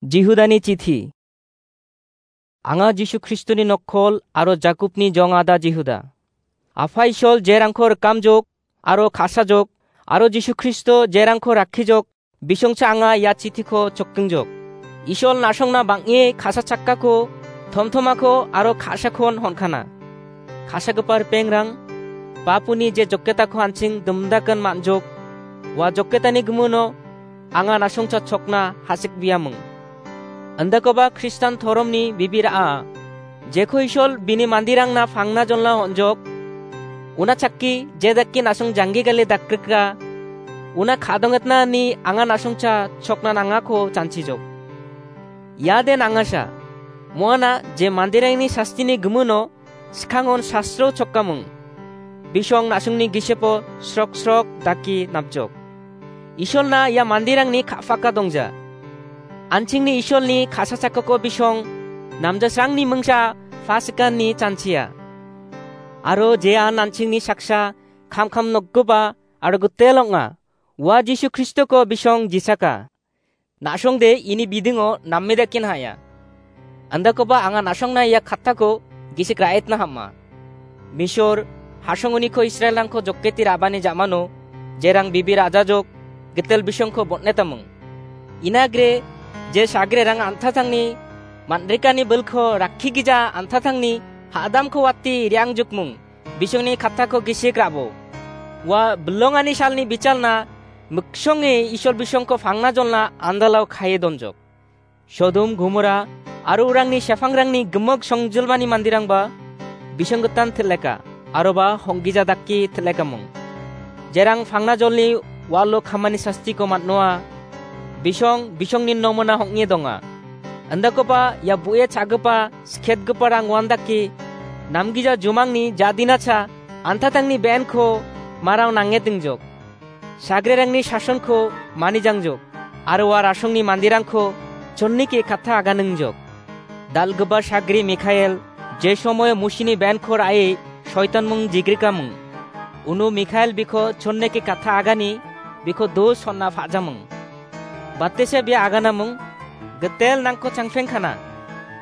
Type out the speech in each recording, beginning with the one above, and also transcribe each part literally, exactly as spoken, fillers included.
Jihudani chithi. Anga Jisu Kristoni nokkol aro Jakobni jongada Jihuda. Apha Ishol jerangko rikamjok aro ka·sajok aro Jisu Kristo jerangko rakkijok, bisongcha anga ia chithiko chokkingjok. Ishol na·songna bang·e ka·sachakako, tomtomako aro ka·sakon hon·kana. Ka·sagipa ripengrang, bapuni je joketako an·ching dimdakan man·jok, ua joketani gimino anga na·songcha chokna hasik·biaming. Andakoba Kristan toromni bibira·a, jeko Ishol bini mandirangna pangna jolna on·jok, una chakki je dakki na·song janggi gale dakrikra, una ka·dongetna ni anga na·songcha chokna nangako janchijok. Ia den angasa, moana je mandirangni sastini gimino skangon sastro chokamung. Bisong na·songni gisepo srok srok daki napjok. Isolna ia mandirangni ka·paka dongja. An·chingni Isolni ka·sachakako bisong namjasrangni mingsa pasikanni chanchia. Aro jean an·chingni saksa kamkam nokgipa aro gitel ong·a. Ua Jisu Kristoko bisong jisaka. Na·songde ini bidingo namme dakin ha·ya. Andakoba anga na·songna ia kattako gisik ra·etna ham·a. Misor, hasongoniko Israelrangko joketi ra·bani ja·mano, jerang bibi rajajok, gitel bisongko botnetamung. Inagre, je sagrerang antatangni, man·rikani bilko rakki gija antatangni, ha·damko wati riangjukmung. Bisongni kattako gisik ra·bo. Ua bilongani salni bichalna miksonge Isol bisongko pangna jolna andalao kae donjok. Sodom, Gomora aro urangni sepangrangni gimik songjilmani mandirangba bisong gitan til·eka, aroba honggija dake til·ekamung. Jerang pangna jolni walo kamani sastiko man·noa, bisong, bisongni nomona hong·e donga. Andakoba ia bu·e cha·gipa, sketgiparang uandake, namgija jumangni jadinacha, antatangni be·enko marao nangetingjok. Sagrerangni sasonko manijangjok, aro ua rasongni mandirangko chonnike katta aganingjok. Dal·gipa sagri Mikael, je somoio Musini be·enko ra·e soitanmung jigrikamung. Uno Mikael biko chonneke katta agani, biko dos honna pa·jamung. Batese bia aganamung, gitel nangko changpengkana.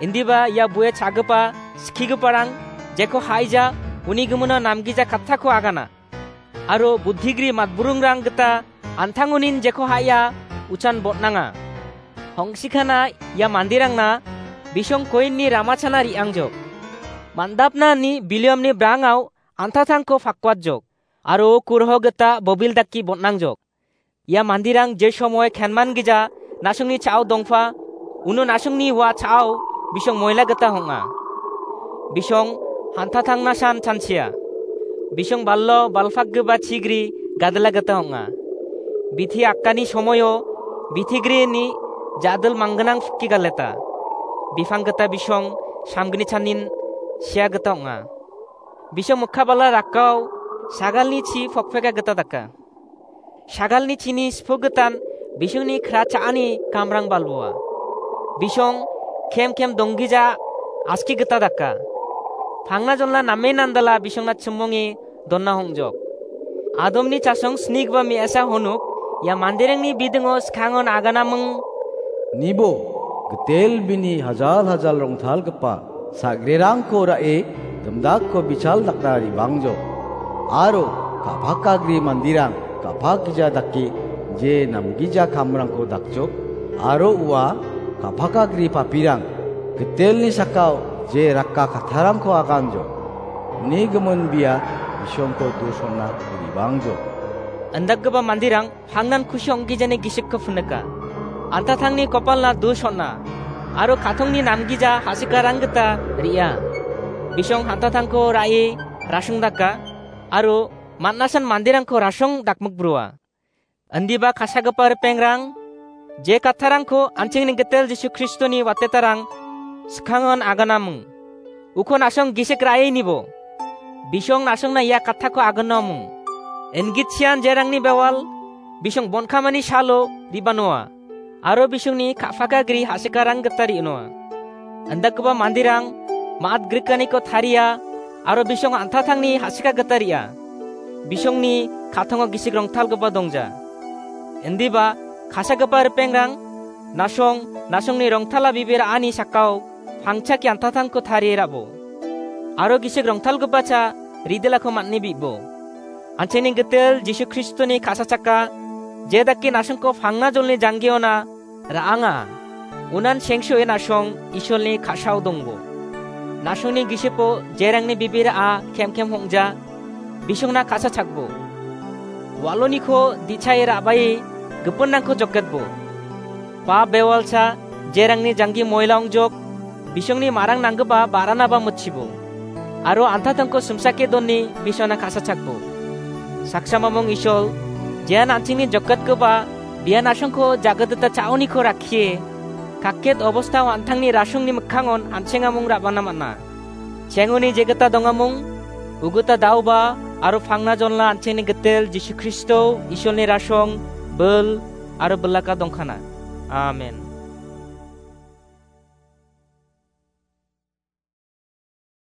Indiba ia bu·e cha·gipa, skigiparang, jeko haija, uni gimino namgija kattako agana. Aro budhigri matburingrang gita antangonin jeko ha·ia uchan botnanga. Hongsikana ia mandirangna bisong koinni ramachana re·angjok. Mandapna ni Biliamni brangao antatangko pakwatjok. Aro kurho gita bobil dake botnangjok. Ia mandirang je somoe kenman gija na·songni cha·o dongpa, uno na·songni ua cha·o bisong moila gita hong·a. Bisong hantatangna san chanchia. Bisong ballo balpakgipa chigri gadila gita hong·a. Bithi akkani somoio bithi grini jadil manggnang piki galeta. Bipang gita bisong samgni chanin sia gita ong·a. Bisong mikka bala rakao sagalni chi pokpeka gita daka. Sagalni chini sipogitan bisongni kra cha·ani kamrang balboa. Bisong kem kem donggija aski gita daka. Pangna jonla namen andala bisongna chimonge donna hongjok. Adomni chasong snigipa me·asa honuk ia manderangni bidingo skangon aganaming. Nibo, gitel bini hajal hajal rongtalgipa sagrerangko ra·e gimdakko bichal dakna ribangjo. Aro ka·pakagri mandirang ka·pakgija dake je namgija kamrangko dakjok, aro ua ka·pakagri papirang gitelni sakao je rakka kattarangko aganjo. Uni gimin bia bisongko dusonna ribangjo. Indakgipa mandirang pangnan kusi ong·gijani gisikko pinika. Antatangni kopalna dus on·a, aro katongni namgija hasikarang gita re·a. Bisong antatangko ra·e rasong daka, aro man·asan manderangko rasong dakmikbrua. Indiba kasagipa ripengrang, je kattarangko an·chingni gitel Jisu Kristoni watetarang skangon aganamung. Uko na·song gisik ra·e nibo. Bisong na·songna ia kattako aganamung. Inggit sian jerangni bewal, bisong bonkamani salo ribanoa. Aro bisongni ka·pakagri hasikarang gita re·noa. Indakgipa manderang ma·at grikaniko taria, aro bisong antatangni hasika gita re·a. Bisongni katongo gisik rongtalgipa dongja. Indiba kasagipa ripengrang, Nasong, nasongni rongtala bibir ani sakao pangchake antatangko tarie ra·bo. Aro gisik rongtalgipacha ridilako man·e bi·bo. An·chingni gitel Jisu Kristoni ka·sachaka, jedake nasongko pangna jolni janggiona ra·anga. Unan sengsoe nasong Isolni ka·sao dongbo. Nasongni gisipo jerangni bibir a kem kem hongja, bisongna ka·sachakbo. Waloniko di·chae ra·bae gipinrangko joketbo. Ba bewalsa jerangni janggi moila ongjok, bisongni marang nanggipa ba·ranaba mitchibo. Aro antatangko simsake doni bisongna ka·sachakbo. Saksa mamung Isol, jean an·chingni joketgipa bian asongko jagidita cha·oniko rakkie, kakket obostao an·tangni rasongni mikkangon an·chengamung ra·bana man·a. Chengoni jegita dongamung, ugita daoba, aro pangna jonla an·chingni gitel Jisu Kristo, Isolni rasong, bil, aro bilaka dongkana. Amen.